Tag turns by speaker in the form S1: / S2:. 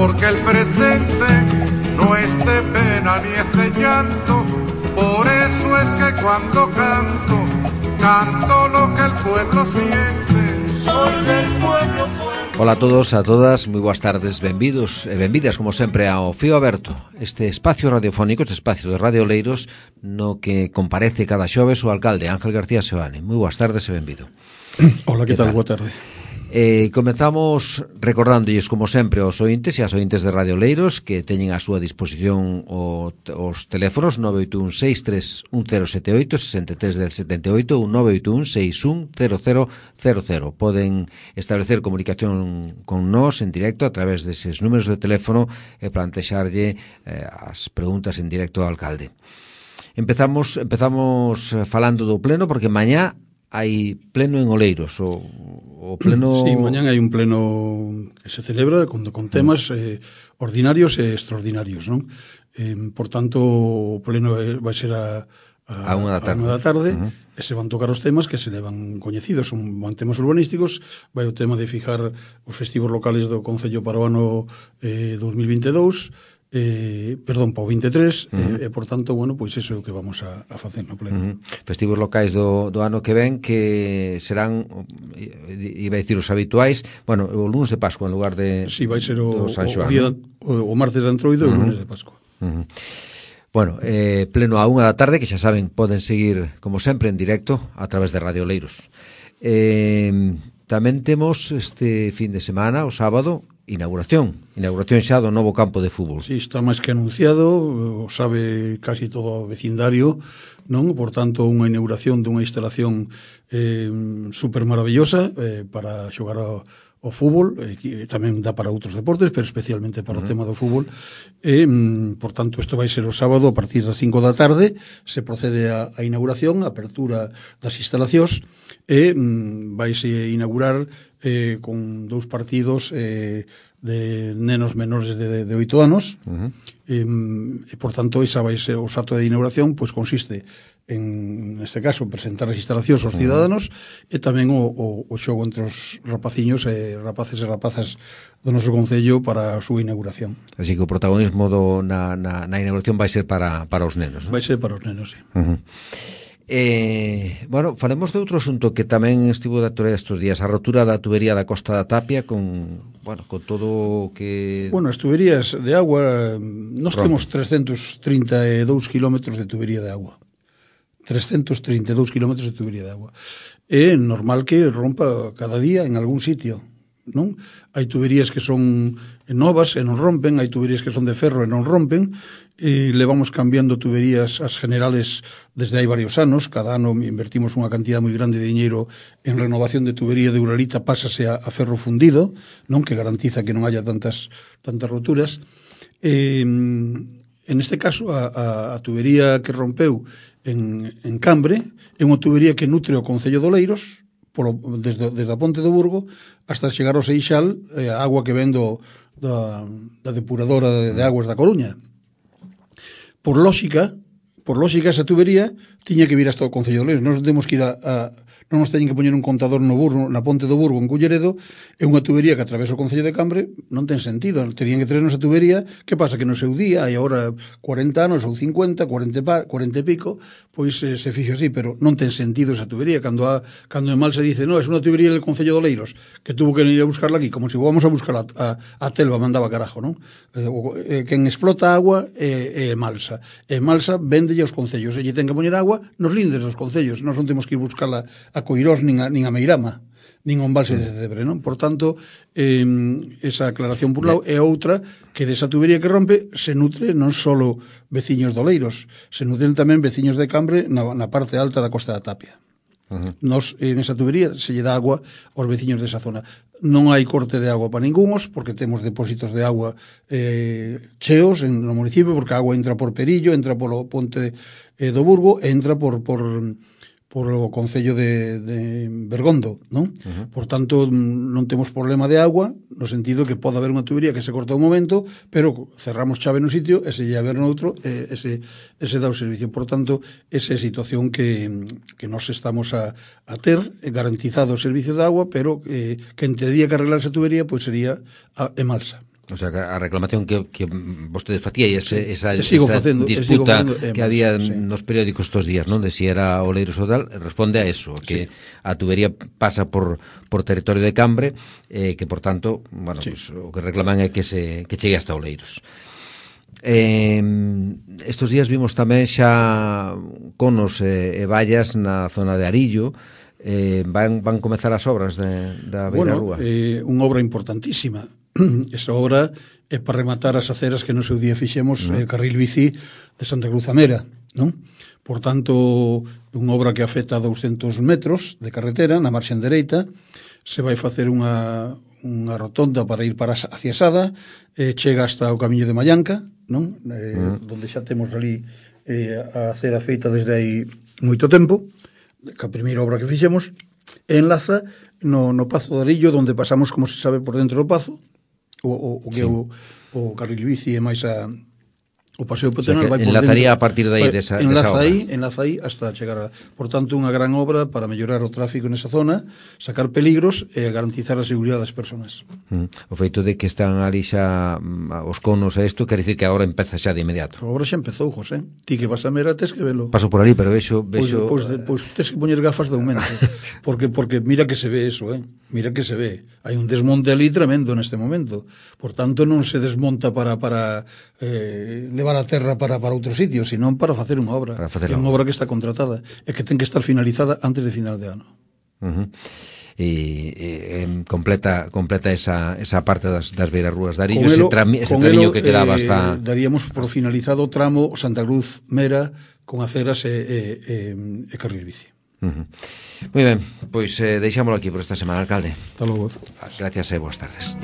S1: porque el presente no es de pena ni es de llanto. Por eso es que cuando canto, canto lo que el pueblo siente. Soy del pueblo.
S2: Ola a todos, a todas, moi boas tardes, benvidos e benvidas como sempre ao Fío Aberto, este espacio radiofónico, este espacio de Radio Oleiros no que comparece cada xoves o alcalde Ángel García Seoane. Moi boas tardes e benvido.
S3: Hola, que tal? Boa tarde.
S2: Comenzamos recordándolles como sempre aos ointes e as ointes de Radio Oleiros que teñen a súa disposición os teléfonos 981-631078 63 ou 981-610000. Poden establecer comunicación con nós en directo a través deses números de teléfono e plantexarlle as preguntas en directo ao alcalde. Empezamos falando do pleno porque mañá hai pleno en Oleiros, o pleno...
S3: Sí, mañán hai un pleno que se celebra con temas ordinarios e extraordinarios, non? Por tanto, o pleno vai ser a 1 da tarde, e se van tocar os temas que se levan coñecidos, son temas urbanísticos, vai o tema de fijar os festivos locales do Concello para o ano 2022, para o 23, e por tanto, bueno, pois iso é o que vamos a facer no pleno.
S2: Festivos locais do ano que ven que serán, iba a dicir os habituais, bueno, o lunes de Pascua en lugar de
S3: sí, vai ser o
S2: San Xoán,
S3: o martes de Antroido e o lunes de Pascua.
S2: Bueno, pleno a 1 da tarde, que xa saben, poden seguir como sempre en directo a través de Radio Oleiros. Tamén temos este fin de semana, o sábado, inauguración xa do novo campo de fútbol.
S3: Sí, está máis que anunciado, o sabe casi todo o vecindario, non? Por tanto, unha inauguración dunha instalación super maravillosa para xogar ao fútbol, que tamén dá para outros deportes, pero especialmente para o tema do fútbol. Por tanto, isto vai ser o sábado a partir das 5 da tarde, se procede a inauguración, a apertura das instalacións, e vaise inaugurar con 2 partidos de nenos menores de 8 anos, e por tanto esa vai ser o acto de inauguración, pois consiste neste caso presentar as instalacións aos ciudadanos e tamén o xogo entre os rapaciños e rapaces e rapazas do noso concello para a súa inauguración.
S2: Así que o protagonismo na inauguración vai ser para os nenos, non?
S3: Vai ser para os nenos, sí.
S2: Bueno, falemos de outro asunto que tamén estivo de actualidade estes días, a rotura da tubería da Costa da Tapia con todo o que...
S3: Bueno, as tuberías de agua, nós temos 332 kilómetros de tubería de agua. 332 kilómetros de tubería de agua. É normal que rompa cada día en algún sitio, non? Hai tuberías que son novas e non rompen, hai tuberías que son de ferro e non rompen, e levamos cambiando tuberías as generales desde hai varios anos. Cada ano invertimos unha cantidad moi grande de diñeiro en renovación de tubería de uralita, pásase a ferro fundido, non, que garantiza que non haya tantas roturas. En este caso, a tubería que rompeu en Cambre é unha tubería que nutre o Concello de Oleiros desde a Ponte do Burgo hasta chegar ao Seixal, a agua que ven da depuradora de aguas da Coruña. Por lógica, esa tubería tiña que vir hasta o Concello de Oleiros. Nós temos que ir non nos teñen que poñer un contador no Burgo, na Ponte do Burgo, en Culleredo, é unha tubería que atravesa o Concello de Cambre, non ten sentido, terían que traernos a tubería. Que pasa? Que no seu día, hai agora 40 anos ou 50, 40 e pico, pois se fixo así, pero non ten sentido esa tubería. Cando en mal se dice, no, é unha tubería del Concello de Oleiros, que tuvo que ir a buscarla aquí, como se vamos a buscar a Telva, mandaba carajo, non? Quen explota a agua é Malsa. E Malsa véndelle aos concellos, e lle ten que poñer agua nos lindes dos concellos. Nós non temos que ir buscarla a Coirós nin a Meirama, nin a embalse de Cebre, non? Por tanto, esa aclaración por lado é outra, que desa tubería que rompe se nutre non só veciños de Oleiros, se nutren tamén veciños de Cambre na parte alta da Costa da Tapia. Nos, en esa tubería se lle dá agua aos veciños desa zona. Non hai corte de agua para ningunos, porque temos depósitos de agua cheos no municipio, porque a agua entra por Perillo, entra polo Ponte do Burgo e entra por o Concello de Bergondo, non? Por tanto, non temos problema de agua, no sentido que pode haber unha tubería que se corta un momento, pero cerramos chave no sitio e se lle haber noutro, ese dá o servicio. Por tanto, esa é a situación que nos estamos a ter, garantizado o servicio de agua, pero que en teoría que arreglar esa tubería, pois sería Emalsa.
S2: O sea, que a reclamación que vostedes facía e esa
S3: facendo,
S2: disputa que había nos periódicos estos días, non? De si era Oleiros ou tal, responde a eso, que a tubería pasa por territorio de Cambre, que, por tanto, bueno, pues, o que reclaman é que chegue hasta Oleiros. Estos días vimos tamén xa conos e vallas na zona de Arillo. Van comezar as obras da Beirarrúa.
S3: Unha obra importantísima. Esa obra é para rematar as aceras que no seu día fixemos carril bici de Santa Cruz a Mera, non? Por tanto, unha obra que afecta a 200 metros de carretera na marxen dereita. Se vai facer unha rotonda para ir hacia Sada, chega hasta o camiño de Mallanca, non? Donde xa temos ali a acera feita desde aí moito tempo, que a primeira obra que fixemos, enlaza no Pazo de Arillo, donde pasamos, como se sabe, por dentro do Pazo, o que é o carril bici e máis o paseo peatonal,
S2: vai por enlazaría dentro, a partir de aí desa obra.
S3: Enlaza aí hasta chegar por tanto, unha gran obra para mellorar o tráfico nesa zona, sacar peligros e garantizar a seguridade das persoas.
S2: O feito de que están ali xa os conos a isto, quer dicir que agora empeza xa de inmediato.
S3: A obra xa empezou, José. Ti que vas a Mera tes que velo.
S2: Paso por ali, pero vexo...
S3: Pois tes que poñer gafas de aumento, porque mira que se ve eso, mira que se ve. Hai un desmonte ali tremendo neste momento. Por tanto, non se desmonta para levar a terra para outro sitio, senón para facer unha obra. É unha obra que está contratada e que ten que estar finalizada antes de final de ano.
S2: E completa esa parte das Beirarrúas de Arillo, ese tramiño que quedaba hasta...
S3: Daríamos por finalizado o tramo Santa Cruz Mera con aceras e carril bici.
S2: Moi ben, pois deixámoslo aquí por esta semana, alcalde.
S3: Hasta logo.
S2: Gracias e boas tardes.